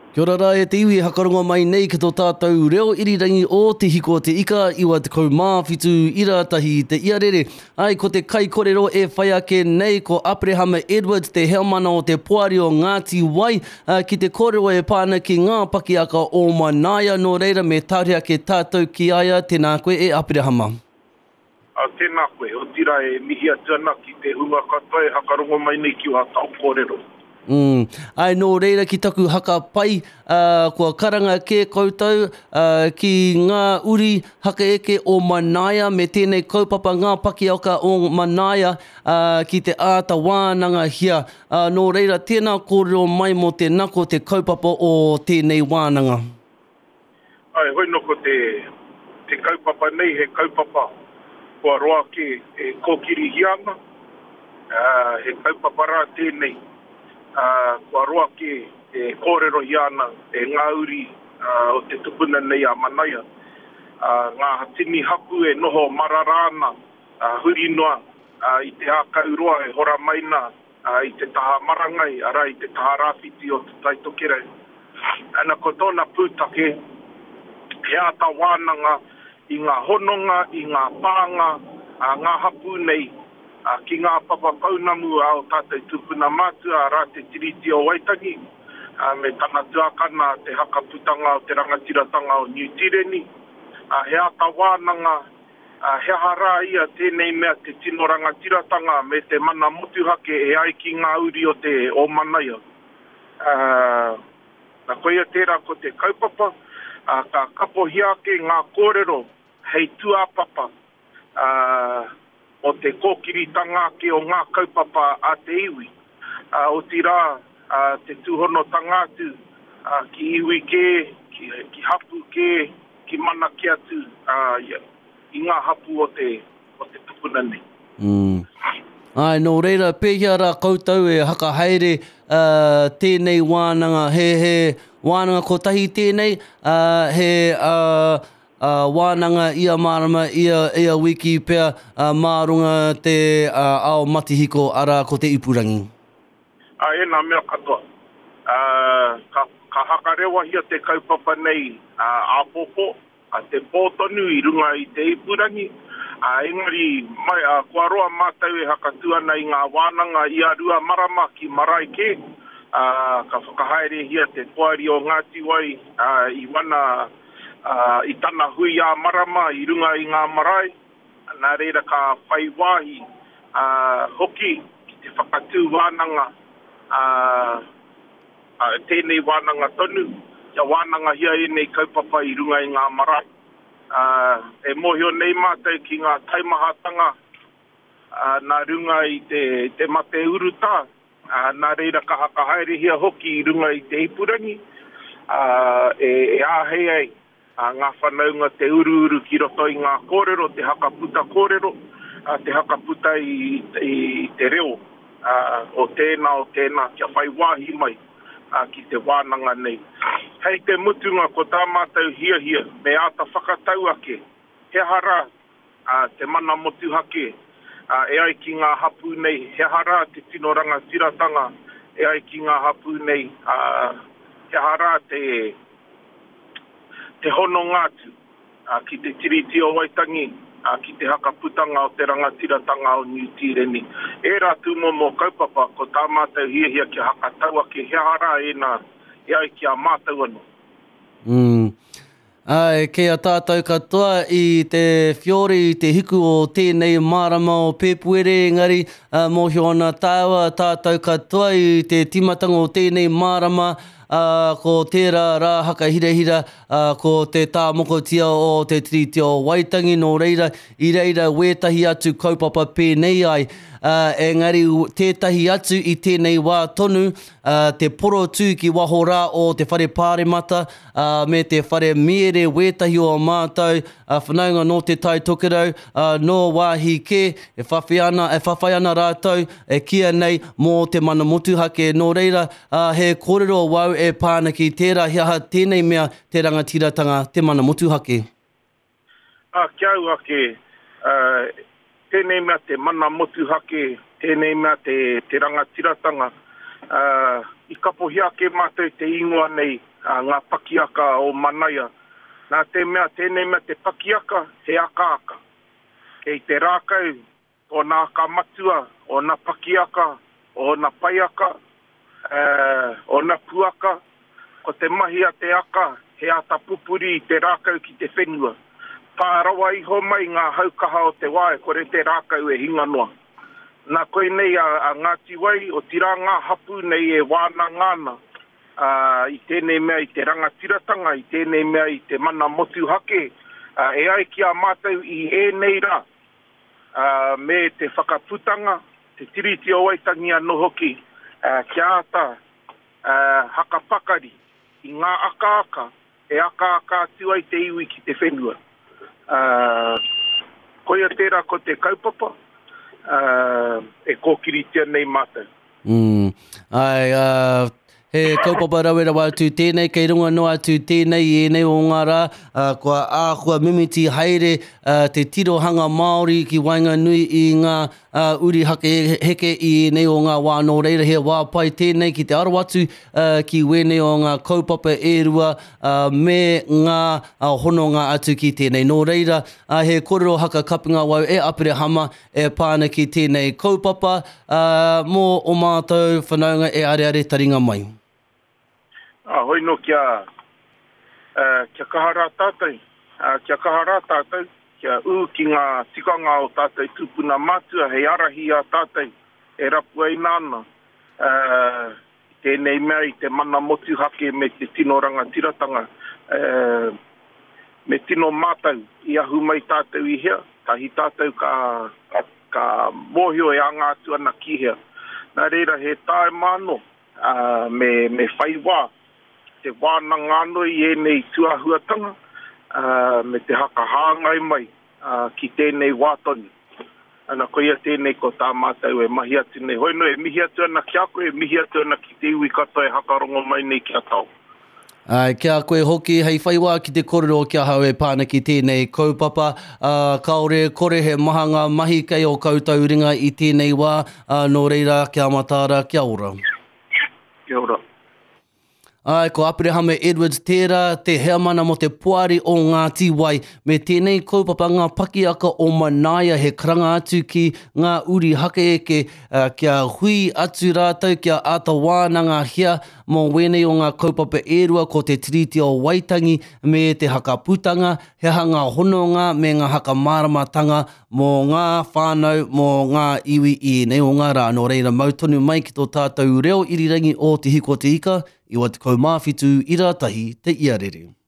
Kia ora rā e te iwi e hakarongo mai nei ki tō tātou reo irirangi o Te Hiko o Te Ika 97 ira tahi i te iarere. Ai, ko te kaikorero e whai ake nei ko Aperehama Edwards te heamana o te poari o Ngāti Wai ki te kōrero e pā ana ki ngā pakiaka o Manaia nō reira me tāre ake tātou ki a ia tēnā koe e Aperehama. Ā, tēnā koe, otirā e mihi atu ana ki te hunga katoa e hakarongo mai nei ki wā tāu kōrero. Mm. Āe, nō reira ki taku haka pai, ā, kua karanga kē koutou, ā, ki ngā uri hakaeke o Manaia me tēnei kaupapa Ngā Pakiaka o Manaia, ā, ki te āta wānangahia. Ā, nō reira, tēnā kōrero mai mō te nako te kaupapa o tēnei wānanga. Āe, hoi nō ko te, te kaupapa nei he kaupapa kua roa kē e kōkirihia ana, ā, he kaupapa rā tēnei, ā, kua roa kē e kōrerohia ana e ngā uri o te tupuna nei a Manaia, ā, ngā tini hapū e noho marara ana, ā, huri noa, ā, i te ākau roa e hora mai nā, ā, i te taha marangai, arā, i te taha rāwhiti o Te Tai Tokerau. Ana, ko tōna pūtake, he āta wānanga i ngā hononga, i ngā pānga a ngā hapū nei ki ngā papa pounamu a ō tātou tūpuna mātua, arā, Te Tiriti o Waitangi, me tana tuakana, Te Haka Putanga o te Rangatiratanga o Niu Tīreni. He āta wānanga Ā, he aha rā ia tēnei mea te tino rangatiratanga me te mana motuhake e ai ki ngā uri o te o Manaia? Ā, na koia tērā ko te kaupapa, ā, ka kapohia ake ngā kōrero hei tūāpapa, ā, mō te kōkiritanga ake o ngā kaupapa a te iwi, ā, otirā, ā, te tūhonotanga atu, ā, ki iwi kē, ki, ki hapū kē, ki mana ke atu i ngā hapū o te, o te tupuna nei. Mm. Āe, nō reira, pēhea rā koutou e hakahaere uh, tēnei wānanga? He, he wānanga kotahi tēnei, uh, he uh, uh, wānanga ia marama, ia, ia wiki pea, uh, mā runga te uh, ao matihiko, arā ko te ipurangi. Ā, ēnā mea katoa. Ā, ka, ka hakarewahia te kaupapa nei ā, āpōpō, ā, te pō tonu i runga i te ipurangi, ā, engari mai, ā, kua roa mātou e hakatū ana i ngā wānanga ia rua marama ki marae kē, ā, ka whakahaerehia te Poari o Ngāti Wai, ā, i wana, ā, i tana hui ā-marama i runga i ngā marae. Nā reira ka whai wāhi hoki ki te whakatū wānanga, tēnei wānanga tonu, kia wānangahia ēnei kaupapa i runga i ngā marae. E mōhio nei mātou ki ngā taimahatanga nā runga i te mate urutā, nā reira ka whakahaerehia hoki i runga i te ipurangi, e āhei ai a ngā whanaunga te uruuru ki roto i ngā kōrero, te hakaputa kōrero, te hakaputa i te reo o tēnā, o tēnā kia whai wāhi mai ki te wānanga nei. Hei te mutunga ko tā mātou hiahia me āta whakatau ake he aha rā te mana motuhake e ai ki ngā hapū nei, he aha rā te tino rangatiratanga e ai ki ngā hapū nei, he aha rā te te hononga atu ki te Tiriti o Waitangi, ki te hakaputanga o te rangatiratanga o Niu Tīreni. Ērā tūmomo kaupapa, ko tā mātou hiahia kia hakatau ake he aha rā ēnā e ai ki a mātou anō. Mm. Āe, kei a tātou katoa i te whiore, i te hiku o tēnei marama o Pēpuere, engari mōhio ana tāua, tātou katoa i te tīmatanga o tēnei marama, ā, ko tērā rā hakahirahira, ā, ko te tāmokotia o te Tiriti o Waitangi, nō reira, i reira wētahi atu kaupapa pēnei ai, ā, engari tētahi atu i tēnei wā tonu, ā, te porotū ki waho rā o te Whare Pāremata, ā, me te Whare Miere wētahi o ā mātou, ā, whanaunga nō Te Tai Tokerau, ā, nō wāhi kē, e whawhi ana, e whawhai ana rātou, e kīia nei, mō te mana motuhake. Nō reira, Ā, he kōrero wau e pā ana ki tērā he aha tēnei mea te rangatiratanga, te mana motuhake. Ā, ki a au ake, ā, tēnei mea te mana motuhake, tēnei mea te, te rangatiratanga, ā, i kapohia ake mātou te ingoa nei, ngā pakiaka o Manaia, nā te mea tēnei mea te pakiaka he akaaka. Kei te rākau ōna aka matua, ōna pakiaka, ōna paiaka, ōna puaka. Ko te mahi a te aka he āta pupuri i te rākau ki te whenua. Pā rawa iho mai ngā hau kaha o te wā e kore te rākau e hinga noa. Nā koinei a Ngāti Wai, otirā ngā hapū nei e wānanga ana i tēnei mea i te rangatiratanga, i tēnei mea i te mana motuhake, e ai ki a mātou i ēnei rā, me te whakaputanga, te Tiriti o Waitangi anō hoki, kia āta hakapakari i ngā akaaka e akaaka atu ai te iwi ki te whenua. Koia tērā ko te kaupapa e kōkiritia nei mātou. Mm. Ai, uh, he kaupapa rawe rawa atu tēnei, kei runga noa atu tēnei i ēnei o ngā rā, uh, kua āhua mimiti haere uh, te tirohanga Māori ki waenganui i ngā uh, uri hake heke i ēnei o ngā wā nō reira he wā pai tēnei ki te aro atu uh, ki wēnei o ngā kaupapa e rua uh, me ngā uh, hononga atu ki tēnei. Nō reira, uh, he kōrero haka kapinga wau e Aperehama e pā ana ki tēnei kaupapa uh, mō o mātou whanaunga e areare taringa mai. Ā, hoi nō kia, ā, kia kaha rā tātou, ā, kia kaha rā tātou, kia ū ki ngā tikanga o tātou tūpuna mātua hei ārahi i a tātou e rapuaina ana, ā, i tēnei mea i te mana motuhake me te tino rangatiratanga, ā, me tino mātau i ahu mai tātou i hea, tahi tātou ka, ka, ka mōhio e anga atu ana ki hea. Nā reira, he tāima anō. ā, me, me whai wā ki te wānanga anō i ēnei tūāhuatanga, ā, me te haka hāngai mai, ā, ki tēnei wā tonu. Ana, koia tēnei ko tā mātou e mahi atu nei. Hoi nō, e mihi atu ana ki a koe, e mihi atu ana ki te iwi katoa e hakarongo mai nei ki a Tao. Āe, ki a koe hoki, hei whai wā ki te kōrero ki ahau e pā ana ki tēnei kaupapa, ā, kāore e kore he maha ngā mahi kei ō koutou ringa i tēnei wā, ā, nō reira, kia mataara, kia ora. Kia ora. Āe, ko Aperehama Edwards tērā, te heamana mō te Poari o Ngāti Wai, me tēnei kaupapa ngā pakiaka o Manaia he karanga atu ki ngā uri hakeeke, ā, kia hui atu rātou, kia āta wānangahia Mō wēnei o ngā kaupapa e rua ko Te Tiriti o Waitangi me te Hakaputanga, he aha ngā hononga me ngā hakamāramatanga mō ngā whānau, mō ngā iwi i ēnei o ngā rā. Nō reira mau tonu mai ki tō tātou reo irirangi o Te Hiko o Te Ika, 97 ira tahi te iarere.